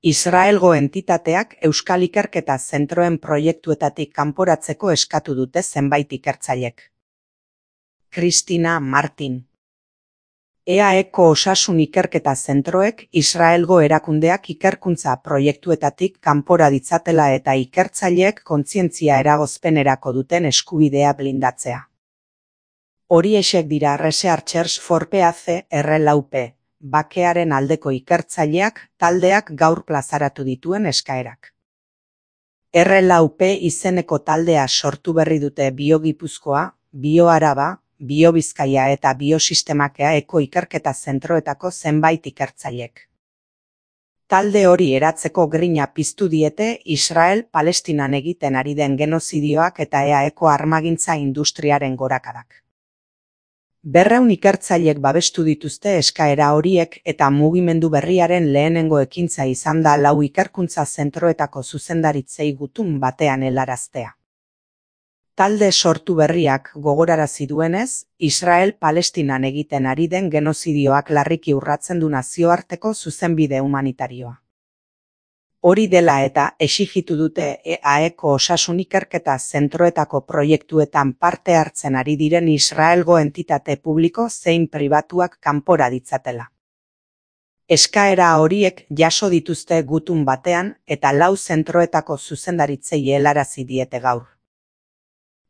Israelgo entitateak euskal ikerketa zentroen proiektuetatik kanporatzeko eskatu dute zenbait ikertzailek. Kristina Martin. EAEko osasun ikerketa zentroek Israelgo erakundeak ikerkuntza proiektuetatik kanpora ditzatela eta ikertzaileek kontzientzia eragozpenerako duten eskubidea blindatzea. Horiexek dira Researchers for Peace (R4P), bakearen aldeko ikertzaileak taldeak gaur plazaratu dituen eskaerak. R4P izeneko taldea sortu berri dute Bio-Gipuzkoa, Bio-Araba, Bio-Bizkaia eta Biosistemakeaeko ikerketa zentroetako zenbait ikertzailek. Talde hori eratzeko grina piztu diete Israel Palestinan egiten ari den genozidioak eta EAEko armagintza industriaren gorakadak. 200 ikertzailek babestu dituzte eskaera horiek eta mugimendu berriaren lehenengo ekintza izan da 4 ikerkuntza zentroetako zuzendaritzei gutun batean helaraztea. Talde sortu berriak gogorarazi duenez, Israel Palestinan egiten ari den genozidioak larriki urratzen du nazioarteko zuzenbide humanitarioa. Hori dela eta exijitu dute EAEko osasun ikerketa zentroetako proiektuetan parte hartzen ari diren Israelgo entitate publiko zein pribatuak kanpora ditzatela. Eskaera horiek jaso dituzte gutun batean eta 4 zentroetako zuzendaritzei helarazi diete gaur.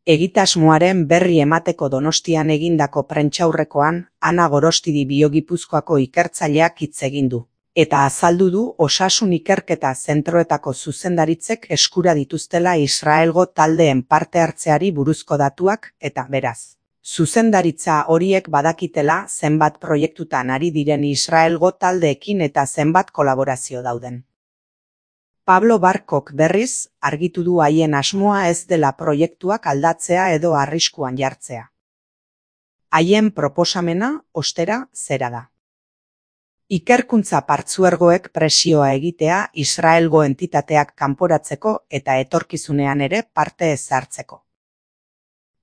Egitasmoaren berri emateko Donostian egindako prentsaurrekoan Ana Gorostidi Bio-Gipuzkoako ikertzaileak hitz egin du. Eta azaldu du osasun ikerketa zentroetako zuzendaritzek eskura dituztela Israelgo taldeen parte hartzeari buruzko datuak eta beraz. Zuzendaritza horiek badakitela zenbat proiektutan ari diren Israelgo taldeekin eta zenbat kolaborazio dauden. Pablo Barkok berriz argitu du haien asmoa ez dela proiektuak aldatzea edo arriskuan jartzea. Haien proposamena, ostera, zera da. Ikerkuntza partzuergoek presioa egitea Israelgo entitateak kanporatzeko eta etorkizunean ere parte ez hartzeko.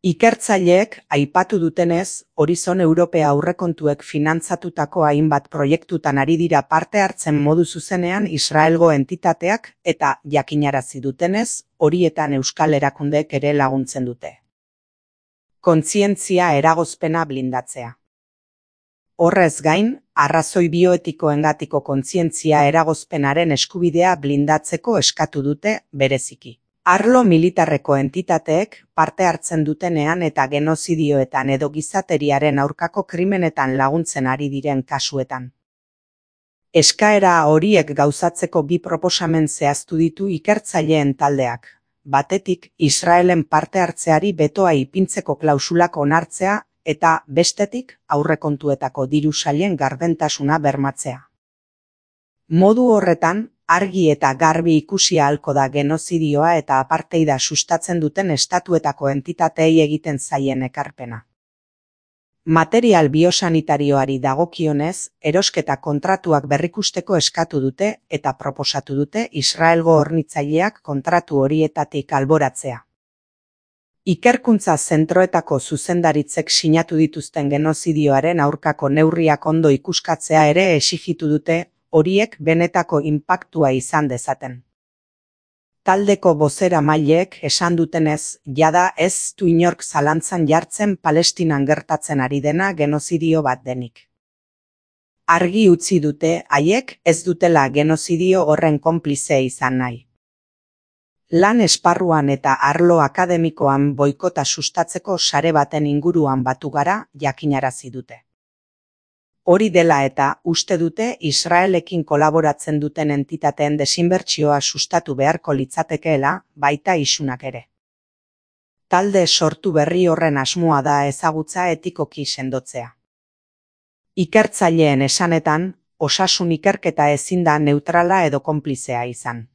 Ikertzaileek aipatu dutenez, Horizon Europea aurrekontuek finantzatutako hainbat proiektutan ari dira parte hartzen modu zuzenean Israelgo entitateak eta jakinarazi dutenez, horietan euskal erakundeek ere laguntzen dute. Kontzientzia eragozpena blindatzea. Horrez gain, arrazoi bioetikoengatiko kontzientzia eragozpenaren eskubidea blindatzeko eskatu dute bereziki. Arlo militarreko entitateek parte hartzen dutenean eta genozidioetan edo gizateriaren aurkako krimenetan laguntzen ari diren kasuetan. Eskaera horiek gauzatzeko 2 proposamen zehaztu ditu ikertzaileen taldeak. Batetik, Israelen parte hartzeari betoa ipintzeko klausulak onartzea eta bestetik aurrekontuetako diru sailen gardentasuna bermatzea. Modu horretan, argi eta garbi ikusi ahalko da genozidioa eta apartheida sustatzen duten estatuetako entitateei egiten zaien ekarpena. Material biosanitarioari dagokionez, erosketa kontratuak berrikusteko eskatu dute eta proposatu dute Israelgo hornitzaileak kontratu horietatik alboratzea. Ikerkuntza zentroetako zuzendaritzek sinatu dituzten genozidioaren aurkako neurriak ondo ikuskatzea ere exijitu dute, horiek benetako inpaktua izan dezaten. Taldeko bozeramaileek esan dutenez, jada ez du inork zalantzan jartzen Palestinan gertatzen ari dena genozidio bat denik. Argi utzi dute haiek ez dutela genozidio horren konplize izan nahi. Lan esparruan eta arlo akademikoan boikota sustatzeko sare baten inguruan batu gara jakinarazi dute. Hori dela eta uste dute Israelekin kolaboratzen duten entitateen desinbertsioa sustatu beharko litzatekeela, baita isunak ere. Talde sortu berri horren asmoa da ezagutza etikoki sendotzea. Ikertzaileen esanetan, osasun ikerketa ezin da neutrala edo konplizea izan.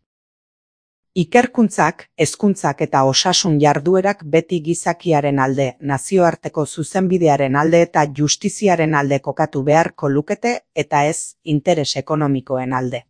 Ikerkuntzak, hezkuntzak eta osasun jarduerak beti gizakiaren alde, nazioarteko zuzenbidearen alde eta justiziaren alde kokatu beharko lukete eta ez interes ekonomikoen alde.